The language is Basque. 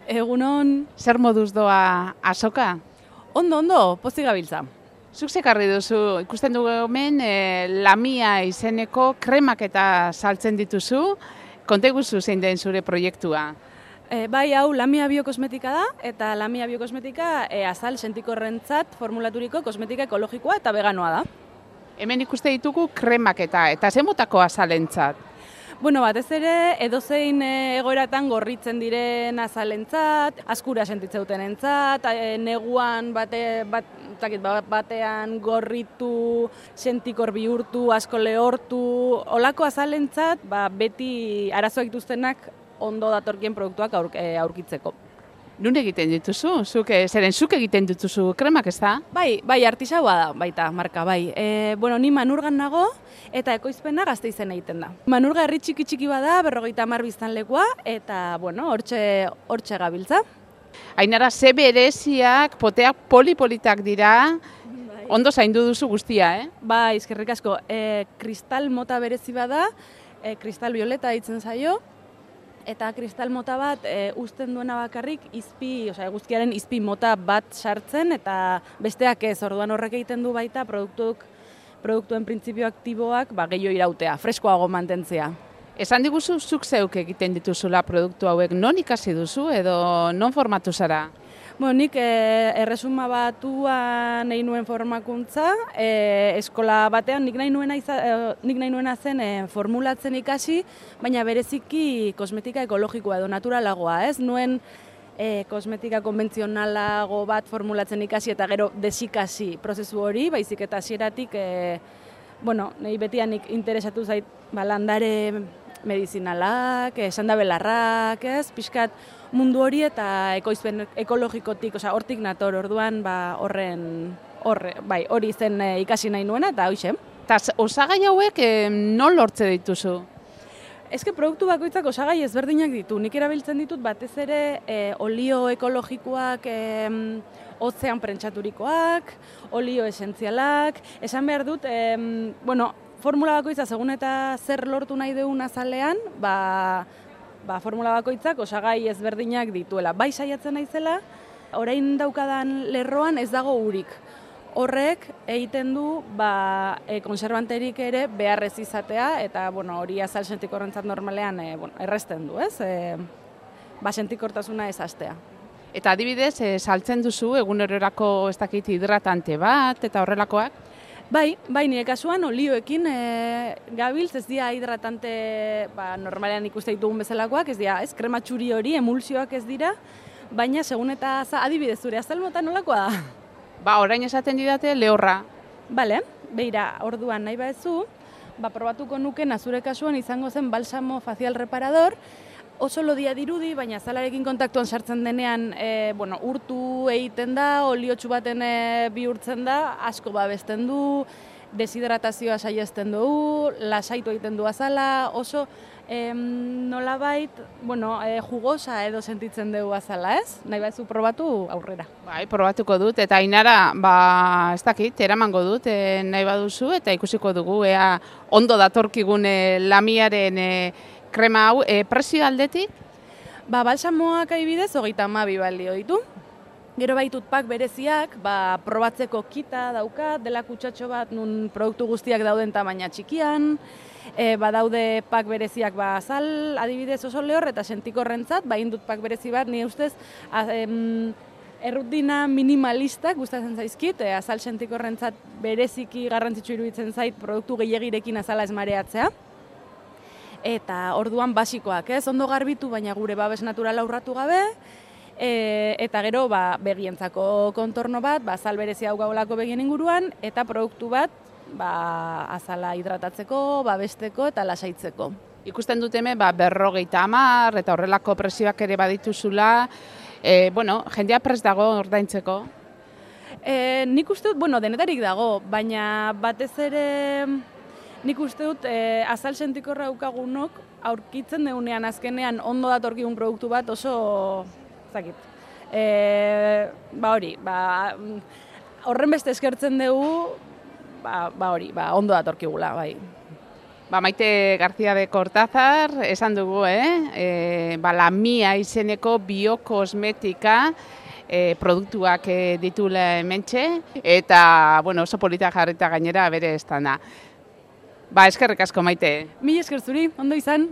Egunon, Zer moduz doa azoka? ondo, pozik gabiltza. Zuk zekarri duzu, ikusten dugu hemen Lamia izeneko kremak eta saltzen dituzu. Konta iguzu zein den zure proiektua. Bai, hau Lamia biokosmetika da, eta Lamia biokosmetika azal sentikorrentzat formulaturiko kosmetika ekologikoa eta veganoa da. Hemen ikuste ditugu kremak eta zen motako azalentzat. Bueno, batez ere, edozein egoeratan gorritzen diren azalentzat, askura sentitzeutenentzat, neguan batean gorritu, sentikor bihurtu, asko lehortu, olako azalentzat, beti arazoak dituztenak ondo datorkien produktuak aurkitzeko. Nun egiten dituzu? Zuk egiten dituzu kremak, ez da? Bai, artisaua da, baita, marka, bai. Ni Manurgan nago, eta ekoizpena Gasteizen egiten da. Manurga herri txiki bada, 50 biztanlekoa, eta, hortxe gabiltza. Ainara, ze bereziak, poteak polipolitak dira, ondo zaindu duzu guztia, eh? Bai, eskerrik asko. Kristal mota berezi bada, kristal violeta ditzen zaio, eta kristal mota bat uzten duena bakarrik eguzkiaren izpi mota bat sartzen, eta besteak ez, orduan horrek egiten du baita produktuen printzipio aktiboak gehiago irautea, freskoago mantentzea. Esan diguzu, zuk zeuk egiten dituzula produktu hauek, non ikasi duzu edo non formatu zara? Nik erresuma batuan nahi nuen formakuntza, eskola batean nik nahi nuena zen formulatzen ikasi, baina bereziki kosmetika ekologikoa edo naturalagoa, ez? Nuen kosmetika konbentzionalago bat formulatzen ikasi eta gero desikasi prozesu hori, baizik eta hasieratik, nahi betianik interesatu zait landare medizinalak, sandabelarrak, ez? Pixkat mundu hori eta ekoizpen ekologikotik, hortik nator, orduan hori zen ikasi nahi nuena eta hoxe. Eta osagai hauek non lortze dituzu? Eske produktu bakoitzak osagai ezberdinak ditu. Nik erabiltzen ditut batez ere olio ekologikoak, hotzean prentsaturikoak, olio esentzialak. Esan behar dut, formula bakoitza segun eta zer lortu nahi dugun azalean, formula bakoitzak osagai ezberdinak dituela. Bai saiatzen naizela, orain daukadan lerroan ez dago urik. Horrek egiten du konserbanterik ere beharrez izatea, eta hori azal sentikorrentzat normalean errezten du, ez? Sentikortasuna ez hastea. Eta adibidez, saltzen duzu egunerorako ez dakit hidratante bat eta horrelakoak? Bai, nire kasuan olioekin gabiltz, ez dira hidratante normalean ikuste ditugun bezalakoak, ez dira, krema txuri hori, emulsioak ez dira, baina segun eta adibidez zure azal mota nolakoa da? Orain esaten didate lehorra. Bale, beira, orduan nahi baezu, probatuko nuke zure kasuan izango zen balsamo facial reparador, oso lodia dirudi, baina azalarekin kontaktuan sartzen denean, urtu egiten da, oliotsu baten bihurtzen da, asko babesten du, deshidratazioa saiesten du, lasaitu egiten du azala, oso nolabait, jugosa edo sentitzen dugu azala, ez? Nahi baitzu probatu aurrera. Bai, probatuko dut, eta Ainara, ez dakit, eramango dut, nahi baduzu, eta ikusiko dugu, ondo datorkigun Lamiaren krema hau, prezio aldetik? Balsamoak adibidez, 32 balio ditu. Gero baitut pak bereziak, probatzeko kita daukat, dela kutsatxo bat nun produktu guztiak dauden tamaina txikian, badaude pak bereziak azal, adibidez oso lehor, eta sentikorrentzat, indut pak berezi bat, nire ustez, errutina minimalistak gustatzen zaizkit, azal sentikorrentzat bereziki garrantzitsu iruditzen zait produktu gehiegirekin azala ez mareatzea. Eta orduan basikoak, ez? Ondo garbitu, baina gure babes naturala urratu gabe, eta gero begientzako kontorno bat, azal berezi hau gaulako begien inguruan, eta produktu bat azala hidratatzeko, babesteko eta lasaitzeko. Ikusten dut hemen 50 eta horrelako prezioak ere badituzula, jendea prest dago ordaintzeko? Nik uste dut, denetarik dago, baina batez ere nik uste dut azal sentikorra daukagunok aurkitzen deunean azkenean ondo datorkigun produktu bat oso zakit. Horren beste eskertzen dugu, ondo datorkigula, bai. Maite García de Cortázar, esan dugu, Lamia izeneko biokosmetika produktuak ditula hementxe, eta oso polita jarrita gainera bere estanda. Eskerrik asko, Maite. Mila esker zuri, ondo izan.